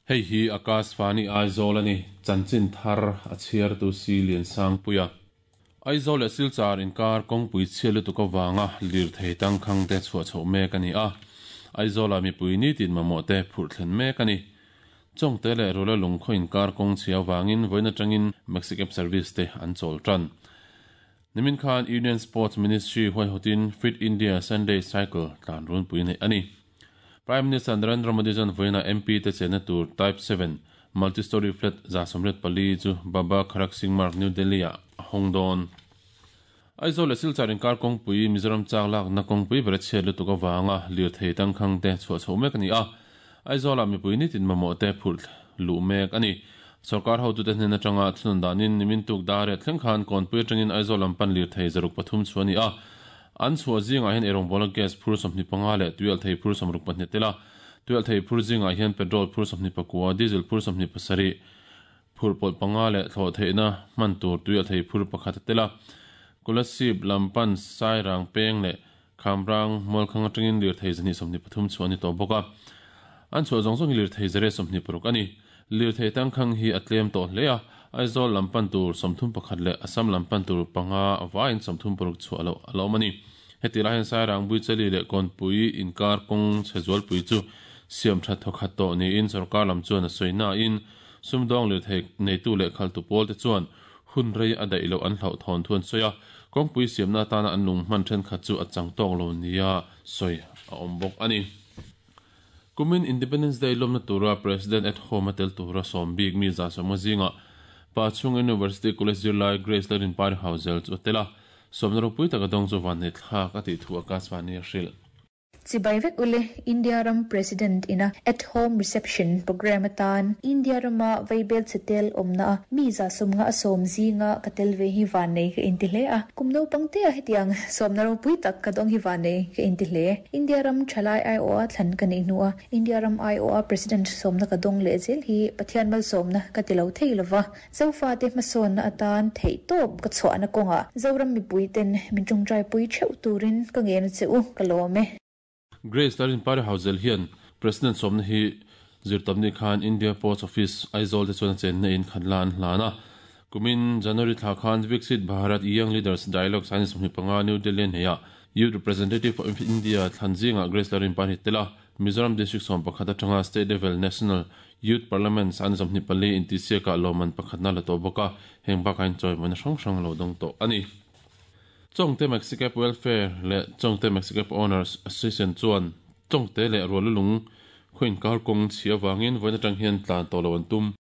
Hei hi Akashvani Aizawl a ni, chanchin thar a chhiartu si Liansangpuia. Aizawl leh Silchar inkar kawngpui chhia lutuk avanga lirthei tangkhang te chhuah chhoh mek a ni a, Aizawlah mipui nitin mamawh te phurh thlen mek a ni. Chawngte leh Rula lungkhaw inkar kawng chhia avangin vawiin atangin Maxicab service te an chawl tan. Nimin khan Union Sports Ministry huaihawtin Fit India Sunday Cycle tlan runpui neih a ni. Prime Minister Narendra Modi chuan vawiinah MP te chenna tur Type 7 Multi-storey flat 194 chu Baba Kharak Singh Marg, New Delhi-ah a hawng dawn. Aizawl leh Silchar inkar kawngpui Mizoram chak lakna kawngpui ber a chhiat lutuk avanga lirthei tangkhang te chhuah chhoh mek a ni a. Aizawlah mipui nitin mamawh te phurh luh mek a ni. Sorkar hotute hnen atanga thunawn danin nimin tuk dar riat thleng khan Kawnpui atangin Aizawl lam pan lirthei 303 chhuah a ni a. An chhuah zingah hian eirawngbawla gas phur 25 leh tuialhthei phur 62 tel a. Tuialhthei phur zingah hian petrol phur 29, diesel phur 27, phurh pawlh panga leh thlawh theihna hman tur tuialhthei phur pakhat a tel a. Kolasib lam pan Sairang peng leh Khamrang Mualkhang atangin lirthei 223 chhuah a ni tawh bawk a. An chhuah zawng zawng hi lirthei 126 a ni. Lirthei tangkhang hi a tlem tawh hle a, Aizawl lam pan tur 31 leh Assam lam pan tur panga vaiin 36 chhuah loh a la awm a ni. Heti lai hian Sairang Buichali leh Kawnpui inkar kawng chhe zualpui chu siam that thawkhat tawh niin sorkar lam chuan a sawi nain sumdawng lirthei neitu leh khaltu pawl te chuan hun rei a daih loh an hlauhthawn thu an sawi a, kawngpui siamna atana an lung hman thenkhat chu a chang tawk lo nia sawi a awm bawk a ni. Kumin Independence Day lawmna tura President at Home a tel tura sawm bik mi 150 zingah Pachhung University College zirlai Grace Lalrinpari Hauzel chu a tel a, sawmna ropui taka dawng chu vanneih thlak a tih thu Akashvani a hrilh. Chibai vek ule, India ram President ina At Home Reception Programme atan India rama vaibel chhe tel awmna a mi 150 a sawm zinga ka tel ve hi vannei ka inti hle a. Kum naupang te a hetiang sawmna ropui tak ka dawng hi vannei ka inti hle. India ram thalai aiawha thlan ka neih hnua India ram aiawha President sawmna ka dawng leh zel hi Pathian malsawmna ka ti lo thei lova. Zofate hmasawnna atan theihtawp ka chhuahna kawngah Zoram mipuiten min tawngtaipui theuh turin ka ngen a che u, ka lawm e. Grace Larinpari Hauzel hian President sawmna hi zirtawpni khan India Post Office, Aizawl te chuan a chenna in khat la an hlan a. Kumin January thla khan Viksit Bharat Young Leaders Dialogue 2025 New Delhi hneihah Youth Representative of India thlan zingah Grace Larinpari tel a, Mizoram District 11 atanga State Level National Youth Parliament 24 intihsiakah lawmman pakhatna la tawh bawk a, heng bakah hian chawimawina hrang hrang a lo dawng tawh a ni. Chawngte Maxicab Welfare leh Chawngte Maxicab Owners Association chuan Chawngte leh Rualulung khaw inkar kawng chhia avangin vawiin atang hian tlan tawh lo an tum.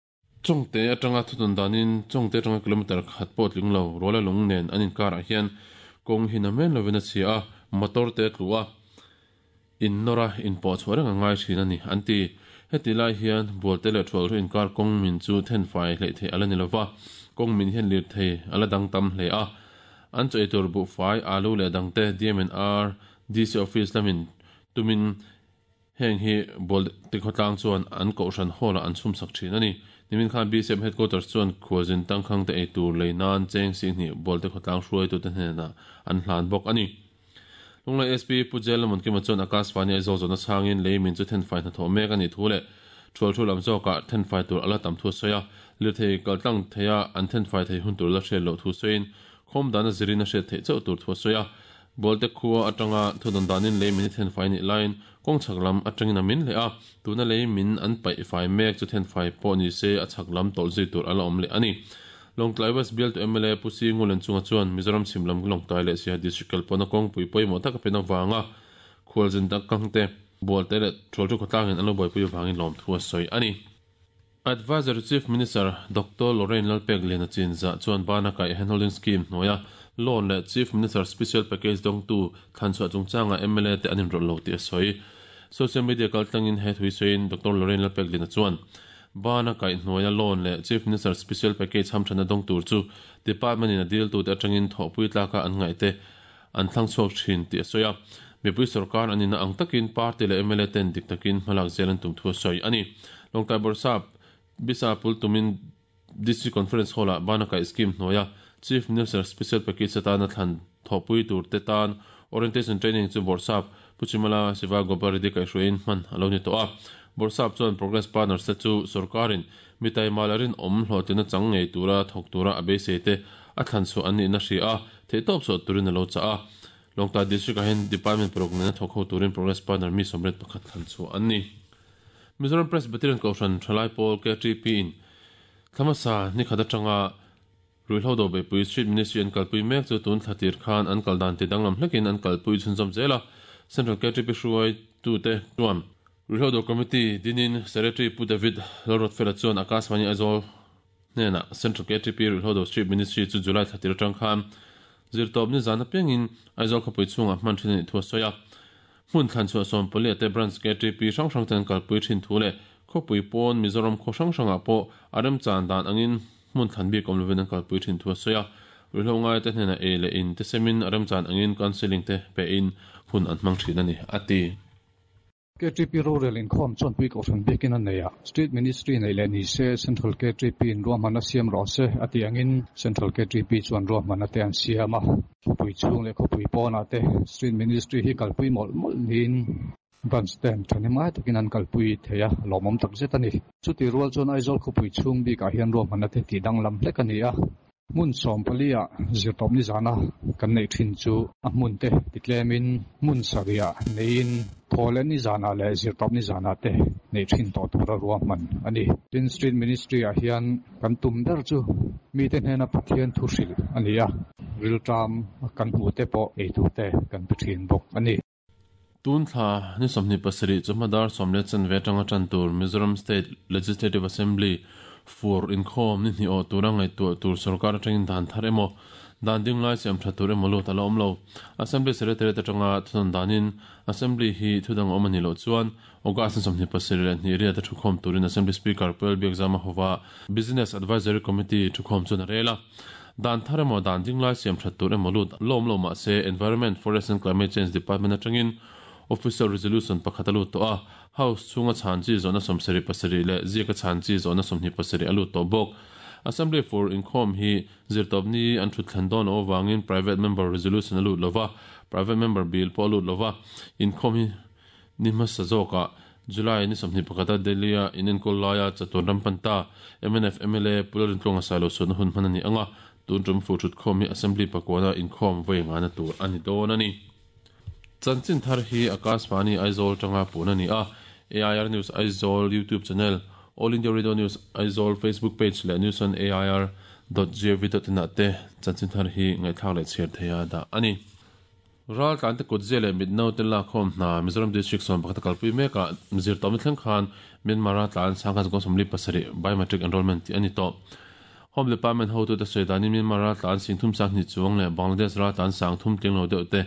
Chawngte atanga thutun danin Chawngte atanga kilometre khat pawh tling lo Rualulung nen an inkarah hian kawng hi namen lovin a chhia a, motor te a tlu a. In nawr a, in pawh chhuah reng a ngai thin a ni, an ti. Heti lai hian Bualte leh Thualru inkar kawng min chu thenfai hleih theih a la ni lo va, kawng min hian lirthei a la dang tam hle a. An chaw eitur buhfai, alu leh dangte DMNR, DC Office lamin tumin heng hi Bualte khawtlang chuan an kohhran hall-ah an chhumsak thin a ni. Nimin khan BCM Headquarters chuan khualzin tangkhangte eitur lei nan cheng sihnih Bualte khawtlang hruaitute hnenah an hlan bawk a ni. Lunglai SP Pu Jel Lamawnkima chuan Akashvani Aizawl zawhna chhangin lei min chu thenfai hnathawh mek a nih thu leh thual thu lam zawkah thenfai tur a la tam thu a sawi a, lirthei kaltlang theia an thenfai thei hun tur la hriat loh thu sawiin khawm dana zirin a hriat theih chauh tur thu a sawi a. Bualte khua atanga thudawn danin lei min hi thenfai nih laiin kawng chhak lam atangin a min leh a, tuna lei min an paih fai mek chu thenfai pawh ni se a chhak lam tawlh zui tur a la awm leh a ni. Lawngtlai West bialtu mla Pu Si Ngulen chunga chuan Mizoram chhim lam Lawngtlai leh Siaha District kalpawhna kawngpui pawimawh tak a pen avanga khualzin tak kangte, bualte leh Thualthu khawtlangin an lo buaipui avangin lawmthu a sawi a ni. Advisory Chief Minister Doctor Lorraine Lalpek Liana Chinzah chuan bana kaih Handholding Scheme hnuaia loan leh Chief Minister Special Package dawngtu thlanchhuah chungchangah mla te an inrawlh lo tih a sawi. Social media kaltlangin he thui sawiin Doctor Lorraine Lalpek Liana chuan Bana kaihhnuaia loan leh Chief Minister Special Package hamthanna dawng tur chu Department in a diltute atangin thawhpui tlaka an ngaihte an thlang chhuak thin tih a sawi a. Mipui sorkar an inna ang takin party leh mla ten dik takin hmalak zel an tum thu a sawi a ni. Lawngtlai Bawrhsap Bisa Pultumin District Conference Hall-ah Bana kaih scheme hnuaia Chief Minister Special Package atana thlan thawhpui turte tan Orientation Training chu Bawrhsap Pu Chimala Siva Gopal Reddy kaihhruaiin hman a lo ni tawh a. Bawrhsap chuan Progress Partners te chu sawrkarin mi taima leh rinawm hlawhtlinna chang ngei tura thawk tura a beisei te a thlan chhuah an nihna hria a, theihtawp chhuah turin a lo chah a. Lawngtlai District ah hian Department paruk nena thawk ho turin Progress Partner mi 31 thlan chhuah an ni. Mizoram Presbyterian Kohhran Thalai Pawl KTP in thla hmasa ni khat atanga Ruihhlo do beihpui Street Ministry an kalpui mek chu tun thla tir khan an kal dan ti danglam hlekin an kalpui chhunzawm zel a, Central KTP hruaitute chuan Ruihhlo do Committee dinin Secretary Pu David Lalruatfela chuan Akashvani Aizawl hnenah Central KTP Ruihhlo do Street Ministry chu July thla tir atang khan zirtawp nizan apiangin Aizawl khawpui chhungah hman thin a nih thu a sawi a. Hmun thlan chhuah sawmpali ate Branch KTP hrang hrang ten kalpui thin thu leh khawpui pawn Mizoram khaw hrang hrangah pawh a remchan dan angin hmun thlan bik awm lovin an kalpui thin thu a sawi a. Ruihhlo ngaite hnenah ei leh in te semin a remchan angin counselling te pehin hun an hmang thin a ni, a ti. KTP rorel inkhawm chuan pui kohhran biakin a nei a, Street Ministry neih leh ni se Central KTP in ruahmanna siam rawh se a tih angin Central KTP chuan ruahmanna te an siam a. Khawpui chhung leh khawpui pawnah te Street Ministry hi kalpui mawlh mawlh niin Branch ten thahnemngai takin an kalpui thei a, lawmawm tak zet a ni. Chutih rual chuan Aizawl khawpui chhung bikah hian ruahmanna te tih danglam hlek a ni a. Hmun 14 ah zirtawp nizana kan neih thin chu a hmun te ti tlemin hmun sarih neiin thaw leh nizanah leh zirtawp nizanah te neih thin tawh tura ruahman a ni. Tin, Street Ministry ah hian kan tum ber chu mite hnena Pathian thu hrilh a ni a, rilṭam kan hmuh te pawh eitur te kan pe thin bawk a ni. Tun thla ni 27 chawhma dar 10 chanve atanga tan tur Mizoram State Legislative Assembly fur inkhawm ni hnih awh tura ngaihtuah tur sorkar atangin dan thar emaw dan ding lai siam tha tur emaw lut a la awm lo. Assembly Secretariat atanga thunawn danin Assembly hi thudang awm a nih loh chuan August ni 22 riat a thukhawm turin Assembly Speaker Pu Lalbiakzama hova Business Advisory Committee thukhawm chuan a rel a. Dan thar emaw dan ding lai siam that tur emaw lut la awm lo mah se Environment, Forest and Climate Change Department atangin Official Resolution pakhat a lut tawh a, House chhunga chhan chi zawhna 77 leh ziaka chhan chi zawhna 27 a lut tawh bawk. Assembly fur inkhawm hi zirtawpni an thut thlen dawn loh avangin Private Member Resolution a lut lova, Private Member Bill pawh a lut lova, inkhawm hi Ni hmasa zawkah July ni 21 a Delhi-a inenkawl laia chatuan ram pan ta mnf mla Pu Lalrintluanga Sailo suatna hun hman a ni ang a, tun tum fu thutkhawm hi Assembly pakuana inkhawm vawi ngana tur a ni dawn a ni. Chanchin thar hi Akashvani Aizawl tanga pun a ni a, AIR News Aizawl YouTube channel, All India Radio News Aizawl Facebook page leh news on air dot gov dot in ah te chanchin thar hi ngaihthlak leh chhiar theia dah a ni. Raltlante kutzia leh mitnaute lakkhawm hna Mizoram District 11 a kalpui mek a, zirtawpna thleng khan Myanmar raltlan 17,037 biometric enrollment tih a ni tawh. Home Department hotute sawi danin Myanmar raltlan 32,000 chuang leh Bangladesh raltlan 3,000 tling lo deuh te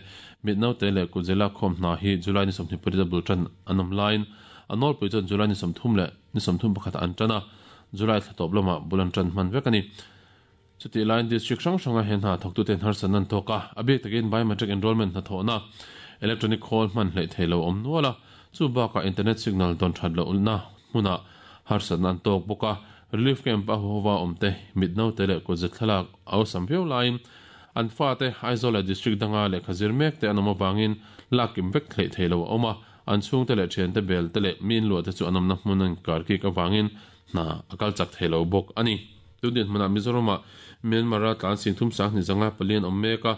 mitnaute leh kutzia lakkhawm hna hi July ni 28 a bul tan an awm laiin a nawlpui chuan July ni 30 leh ni 31 ah an tan a, July thla tawp lamah bul an tan hman vek a ni. Chutih laiin District hrang hranga he hna thawktute harsatna an tawk a, a bik takin Biometric Enrollment hnathawhna, Electronic khawl hman hleih thei lo awm nual a, chu bakah Internet signal dawn that lohna hmunah harsatna an tawk bawk a, Relief Camp a huhova awmte mit naute leh kutze thlalak a awlsam viau laiin an fate Aizawl leh District danga lehkha zir mekte an awm avangin lak kim vek hleih thei lo a awm a, an chhungte leh thiante bel te leh mi inluahte chu an awmna hmun an karkik avangin hna a kal chak thei lo bawk a ni. Tun dinhmunah Mizoramah Myanmar a tlan 32,504 an awm mek a,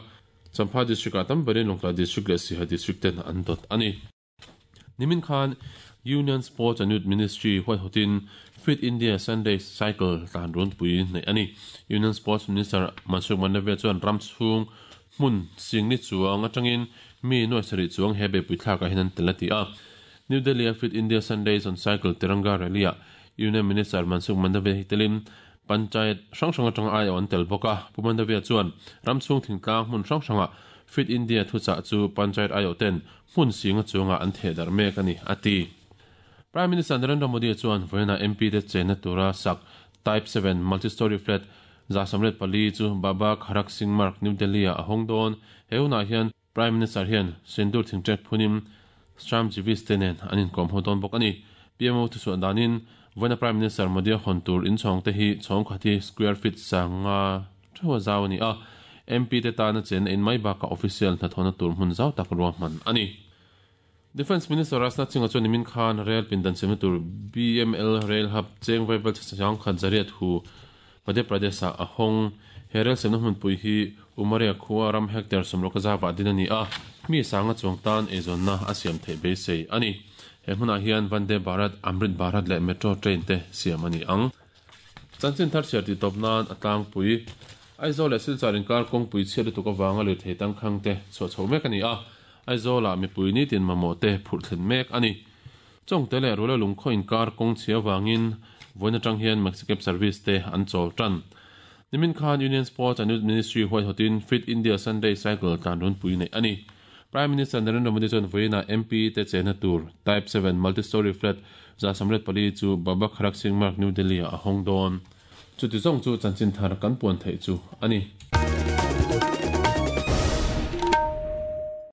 Champhai District-ah tam berin Lawngtlai District leh Siha District ten an dawt a ni. Nimin khan Union Sports and Youth Ministry huaihawtin Fit India Sunday Cycle tlan runpui neih a ni. Union Sports Minister Mansukh Mandaviya chuan ram chhung hmun singni chuang atangin mi nuai sarih chuang he beihpui thlakah hian an tel a ti a. New Delhi-a Fit India Sundays on Cycle Tiranga Rally-ah Union Minister Mansukh Mandaviya hi telin Panchayat hrang hrang atanga aiawh an tel bawk a. Pu Mandaviya chuan ram chhung thingtlang hmun hrang hrangah Fit India thuchah chu Panchayat aiawh ten hmun singa chungah an theh darh mek a ni, a ti. Prime Minister Narendra Modi chuan vawiinah MP te chenna tura sak Type 7 Multi-Storey Flat 184 chu Baba Kharak Singh Marg, New Delhi-ah a hawng dawn. He hunah hian Prime Minister hian Sindoor thingṭek phunin Shramjeevis te nen an inkawm ho dawn bawk a ni. PMO thuchhuah danin vawiina Prime Minister Modi a hawn tur inchhawng te hi chhawng khat hi square feet sanga theuha zau a ni a, MP te tana chenna in mai bakah official hnathawhna tur hmun zau tak ruahman a ni. Defence Minister Rajnath Singh-a chuan nimin khan rail pindan siamna tur BML Rail Hub cheng vaibel 800 hu Madhya Pradesh-ah a hawng. He rail siamna hmunpui hi Umaria khua ram hectare 60 zava din a ni a, mi sanga chuang tan eizawnna a siam theih beisei a ni. He hmunah hian Vande Bharat, Amrit Bharat leh Metro train te siam a ni ang. Chanchin thar chhiar tih tawp nan a tlangpui. Aizawl leh Silchar inkar kawngpui chhiat lutuk avanga lirthei tangkhang te chhuah chho mek a ni a, Aizawlah mipui nitin mamawh te phurh thlen mek a ni. Chawngte leh Rula lungkhaw inkar kawng chhia avangin vawiin atang hian Maxicab service te an chawl tan. Nimin khan Union Sports and Youth Ministry huaihawtin Fit India Sunday Cycle tlan runpui neih a ni. Prime Minister Narendra Modi chuan vawiinah MP te chenna tur Type 7 Multi-Storey Flat 184 chu Baba Kharak Singh Marg, New Delhi-ah a hawng dawn. Chuti zawng chu chanchin thar kan puan theih chu a ni.